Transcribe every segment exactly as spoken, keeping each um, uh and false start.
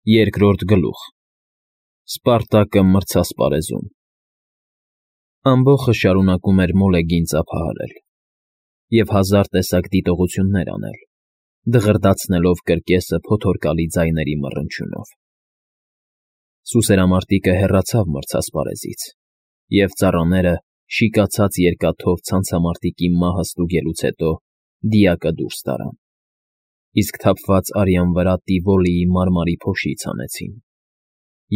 Երկրորդ գլուխ Սպարտակը մրցասպարեզում Ամբոխը շարունակում էր մոլեգին ծափահարել և հազար տեսակ դիտողություններ անել, դղրդացնելով կրկեսը փոթորկալի ձայների մռնչյունով։ Սուսերամարտիկը հեռացավ մրցասպարեզից, և ծառաները, շիկացած երկաթով ցանցամարտիկի մահը ստուգելուց հետո, դիակը դուրս տարան, իսկ թափված արյան վրա Տիվոլիի մարմարի փոշից հանեցին,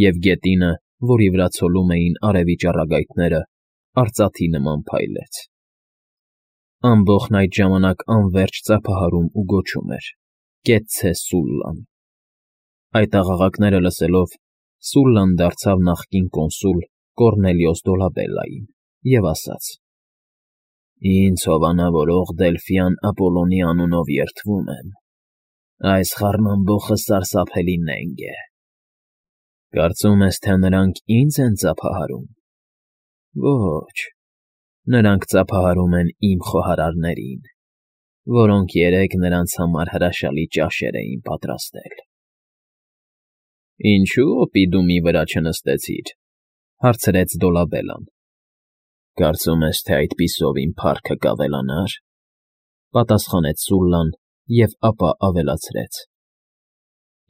և գետինը, որի վրա ցոլում էին արևի ճառագայթները, արծաթի նման փայլեց։ Ամբոխն այդ ժամանակ անվերջ ծափահարում ու գոչում էր. «Կեցցե Սուլլան»։ Այդ աղաղակները լսելով, Սուլլան դարձավ նախկին կոնսուլ Կոռնելիոս Դոլաբելլային և ասաց. «Ինձ հովանավորող Դելֆյան Ապոլոնի անունով երդվում եմ, այս խառնամբոխը սարսափելի նենգ է։ Կարծում ես, թե նրանք ի՞նձ են ծափահարում։ Ոչ, նրանք ծափահարում են իմ խոհարարներին, որոնք երեկ նրանց համար հրաշալի ճաշեր էին պատրաստել»։ «Ինչո՞ւ օպիդումի վրա չնստեցիր,֊ հարցրեց Դոլաբելլան։ Կարծում ես, թե այդպիսով իմ փառքը կավելանա՞ր,֊ պատասխանեց Սուլլան և ապա ավելացրեց.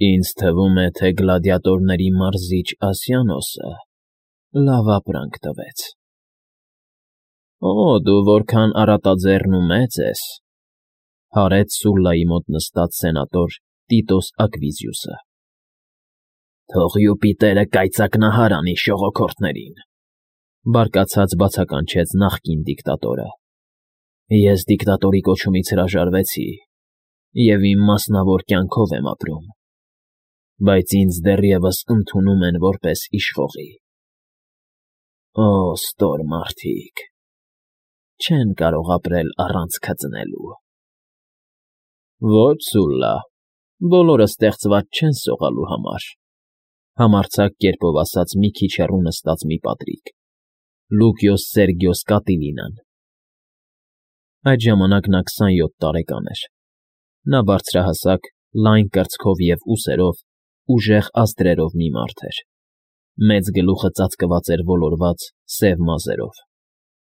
«Ինձ թվում է, թե գլադիատորների մարզիչ Ասիանոսը լավ ապրանք տվեց»։ «Օ, դու որքան առատաձեռն ու մեծ ես,֊ հարեց Սուլլայի մոտ նստած սենատոր Տիտոս Ակվիզիուսը։ «Թող Յուպիտերը կայծակնահար անի շողոքորթներին,֊ բարկացած բացականչեց նախկին դիկտատորը։ «Ես դիկտատորի կոչումից հրաժարվեցի և իմ մասնավոր կյանքով եմ ապրում, բայց ինձ դեռևս ընդունում են որպես իշխողի։ Օ, ստոր մարդիկ, չեն կարող ապրել առանց քծնելու»։ «Ոչ, Սուլլա, բոլորը ստեղծված չեն սողալու համար,֊ համարձակ կերպով ասաց մի քիչ հեռու նստած մի պատրիկ՝ Լուկիոս Սերգիոս Կատիլինան։ Այդ ժամանակ նա քսանյոթ տարեկան էր։ Նա բարձրահասակ, լայն կրծքով և ուսերով, ուժեղ ազդրերով մի մարդ էր։ Մեծ գլուխը ծածկված էր ոլորված, սև մազերով,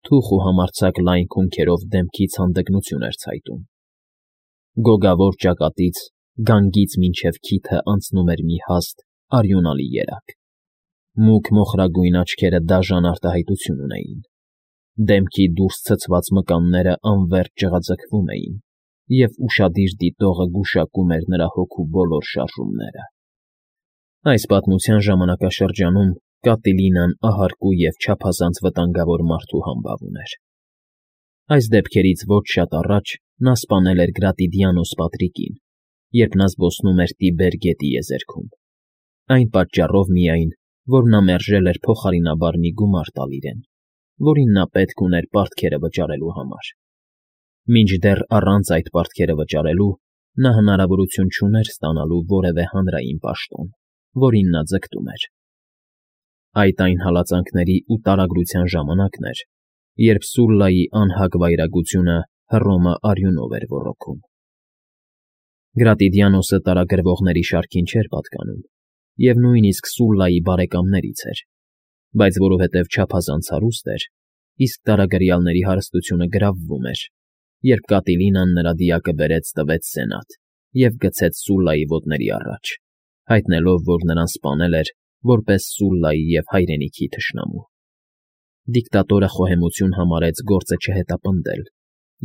թուխ ու համարձակ լայն քունքերով դեմքից հանդգնություն էր ցայտում։ Գոգավոր ճակատից, գանգից մինչև քիթը անցնում էր մի հաստ, արյունալի երակ։ Մուգ մոխրագույն աչքերը դաժան արտահայտություն ունեին։ Դեմքի դուրս ցցված մկանները անվերջ ջղաձգվում էին, և ուշադիր դիտողը գուշակում էր նրա հոգու բոլոր շարժումները։ Այս պատմության ժամանակաշրջանում Կատիլինան ահարկու և չափազանց վտանգավոր մարդու համբավ ուներ։ Այս դեպքերից ոչ շատ առաջ նա սպանել էր Գրատիդիանոս Պատրիկին, երբ նա զբոսնում էր Տիբեր գետի եզերքում, այն պատճառով միայն, որ նա մերժել էր փոխարինաբար մի գումար տալ իրեն, որին նա պետք ուներ պարտքերը վճարելու համար։ Մինչդեռ առանց այդ պարտքերը վճարելու նա հնարավորություն չուներ ստանալու որևէ հանրային պաշտոն, որին նա ձգտում էր։ Այդ այն հալածանքների ու տարագրության ժամանակն էր, երբ Սուլլայի անհագ վայրագությունը Հռոմը արյունով էր ոռոգում։ Գրատիդիանոսը տարագրվողների շարքին չէր պատկանում և նույնիսկ Սուլլայի բարեկամներից էր, բայց որովհետև չափազանց հարուստ էր, իսկ տարագրյալների հարստությունը գրավվում էր, երբ Կատիլինան նրա դիակը բերեց տվեց սենատ և գցեց Սուլլայի ոտների առաջ, հայտնելով, որ նրան սպանել էր որպես Սուլլայի և հայրենիքի թշնամու։ Դիկտատորը խոհեմություն համարեց գործը չհետապնդել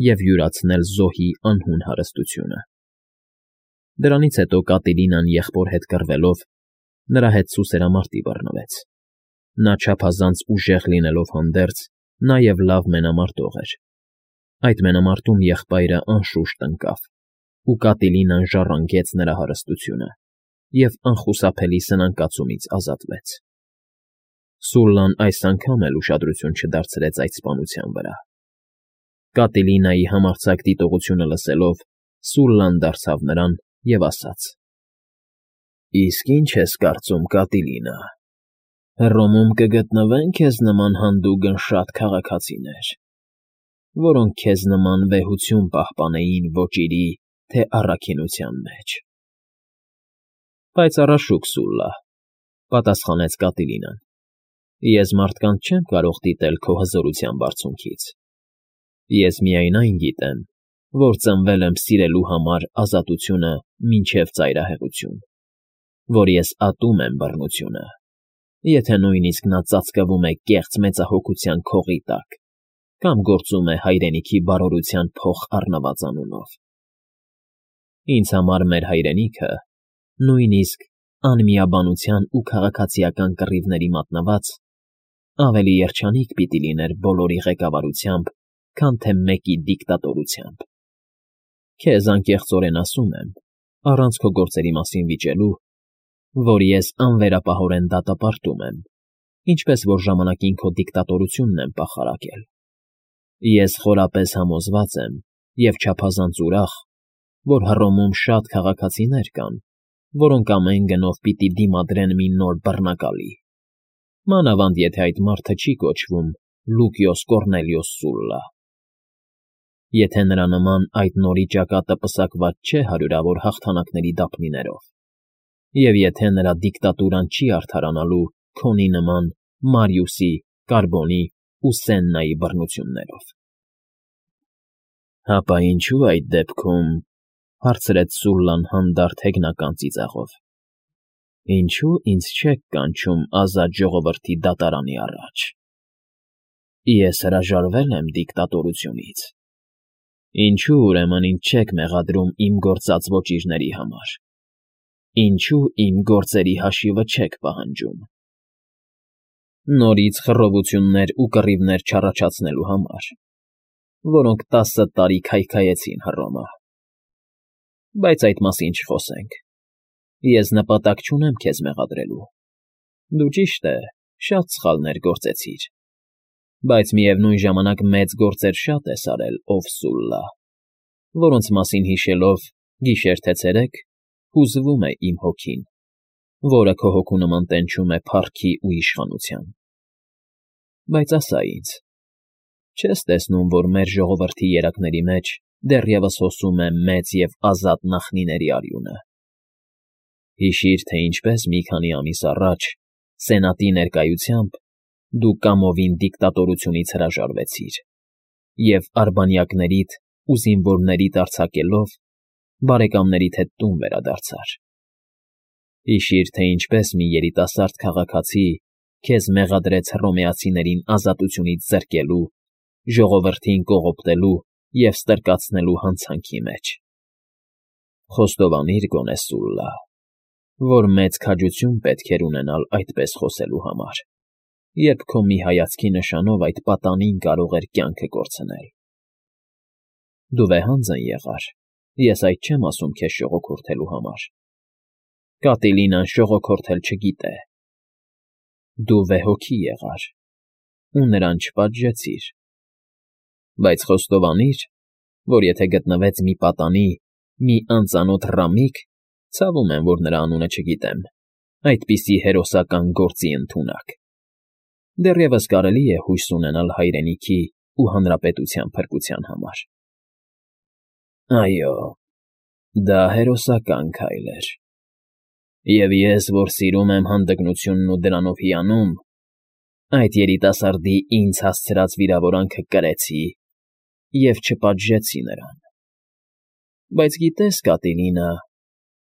և յուրացնել զոհի անհուն հարստությունը։ Դրանից հետո Կատիլինան եղբոր հետ կռվելով, նրա հետ սուսերամարտի բռնվեց։ Նա չափազանց ուժեղ լինելով հանդերձ, նաև լավ մենամարտող էր։ Այդ մենամարտում եղբայրը անշուշտ ընկավ, ու Կատիլինան ժառանգեց նրա հարստությունը և անխուսափելի սնանկացումից ազատվեց։ Սուլլան այս անգամ էլ ուշադրություն չդարձրեց այդ սպանության վրա։ Կատիլինայի համարձակ դիտողությունը լսելով, Սուլլան դարձավ նրան և ասաց. «Իսկ ի՞նչ ես կարծում, Կատիլինա, Հռոմում կգտնվեն քեզ նման հանդուգն շատ քաղաքացիներ, որոնք քեզ նման վեհություն պահպանեին ոճիրի, թե առաքինության մեջ»։ Պայծառաշուք Սուլլա,֊ պատասխանեց Կատիլինան։ Ես մարդկանց չեմ կարող դիտել քո հզորության բարձունքից։ Ես միայն այն գիտեմ, որ ծնվել եմ սիրելու համար ազատությունը մինչև ծայրահեղություն, որ ես ատում եմ բռնությունը, եթե նույնիսկ նա ծածկվում է կեղծ մեծահոգության քողի տակ կամ գործում է հայրենիքի բարօրության փոխ առնված անունով։ Ինձ համար մեր հայրենիքը, նույնիսկ անմիաբանության ու քաղաքացիական կռիվների մատնված, ավելի երջանիկ պիտի լիներ բոլորի ղեկավարությամբ, քան թե մեկի դիկտատորությամբ։ Քեզ անկեղծորեն ասում եմ, առանց քո գործերի մասին վիճելու, որ ես անվերապահորեն դատապարտում եմ, ինչպես որ ժամանակին քո դիկտատորությունն եմ պախարակել։ Ես խորապես համոզված եմ և չափազանց ուրախ, որ Հռոմում շատ քաղաքացիներ կան, որոնք ամեն գնով պիտի դիմադրեն մի նոր բռնակալի, մանավանդ եթե այդ մարդը չի կոչվում Լուկիոս Կոռնելիոս Սուլլա։ Եթե նրա նման այդ նորի ճակատը պսակված չէ հարյուրավոր հաղթանակների դափնիներով, և եթե նրա դիկտատուրան չի արդարանալու քոնի նման Մարիուսի, Կարբոնի ու Սեննայի բռնություններով։ ֊ Հապա ինչո՞ւ այդ դեպքում,֊ հարցրեց Սուլլան հանդարտ հեգնական ծիծաղով,֊ ինչո՞ւ ինձ չեք կանչում ազատ ժողովրդի դատարանի առաջ։ Ես հրաժարվել եմ դիկտատորությունից։ Ինչո՞ւ, ուրեմն, ինձ չեք մեղադրում իմ գործած ոճիրների համար։ Ինչո՞ւ իմ գործերի հաշիվը չեք պահանջում։ Նորից խռովություններ ու կռիվներ չառաջացնելու համար, որոնք տասը տարի քայքայեցին Հռոմը։ Բայց այդ մասին չխոսենք։ Ես նպատակ չունեմ քեզ մեղադրելու։ Դու, ճիշտ է, շատ սխալներ գործեցիր, բայց միևնույն ժամանակ մեծ գործեր շատ ես արել, ով Սուլլա, որոնց մասին հիշելով, գիշեր թե ցերեկ, հուզվում է իմ հոգին, որը քո հոգու նման տենչում է փառքի ու իշխանության։ Բայց ասա ինձ, չե՞ս տեսնում, որ մեր ժողովրդի երակների մեջ դեռևս հոսում է մեծ և ազատ նախնիների արյունը։ Հիշիր, թե ինչպես մի քանի ամիս առաջ, Սենատի ներկայությամբ, դու կամովին դիկտատորությունից հրաժարվեցիր և արբանյակներիդ ու զինվորներիդ արձակելով, բարեկամներիդ հետ տուն վերադարձար։ Հիշիր, թե ինչպես մի երիտասարդ քաղաքացի քեզ մեղադրեց հռոմեացիներին ազատությունից զրկելու, ժողովրդին կողոպտելու և ստրկացնելու հանցանքի մեջ։ Խոստովանիր գոնե, Սուլլա, որ մեծ քաջություն պետք էր ունենալ այդպես խոսելու համար, երբ քո մի հայացքի նշանով այդ պատանին կարող էր կյանքը կորցնել։ Դու վեհանձն եղար, ես այդ չեմ ասում քեզ շողոքորթելու համար։ Կատիլինան շողոքորթել չգիտե։ Դու վեհոգի եղար ու նրան չպատժեցիր։ Բայց խոստովանիր, որ եթե գտնվեց մի պատանի, մի անծանոթ ռամիկ, ցավում եմ, որ նրա անունը չգիտեմ, այդպիսի հերոսական գործի ընդունակ, դեռևս կարելի է հույս ունենալ հայրենիքի ու հանրապետության փրկության համար։ Այո, դա հերոսական քայլ էր։ Եվ ես, որ սիրում եմ հանդգնությունն ու դրանով հիանում, այդ երիտասարդի ինձ հասցրած վիրավորանքը կրեցի և չպատժեցի նրան։ Բայց գիտե՞ս, Կատիլինա,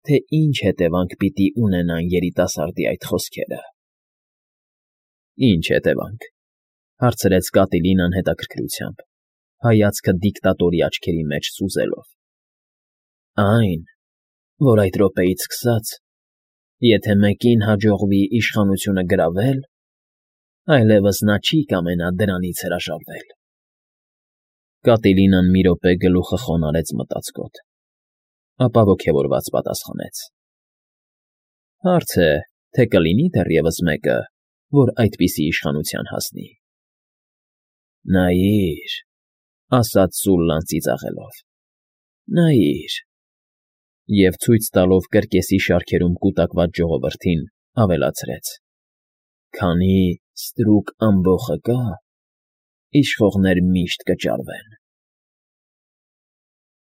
թե ինչ հետևանք պիտի ունենան երիտասարդի այդ խոսքերը։ ֊ Ինչ հետևանք,֊ հարցրեց Կատիլինան հետաքրքրությամբ, հայացքը դիկտատորի աչքերի մեջ սուզելով։ ֊ Այն, որ այդ րոպեից սկսած, եթե մեկին հաջողվի իշխանությունը գրավել, այլևս նա չի կամենա դրանից հրաժարվել։ Կատիլինան մի րոպե գլուխը խոնարհեց մտածկոտ, ապա ոգևորված պատասխանեց. ֊ Հարց է, թե կլինի դեռևս մեկը, որ այդպիսի իշխանության հասնի։ ֊ Նայիր,֊ ասաց Սուլլան ծիծաղելով,֊ նայիր… Եվ ցույց տալով կրկեսի շարքերում կուտակված ժողովրդին, ավելացրեց. Քանի ստրուկ ամբոխը կա, իշխողներ միշտ կճարվեն։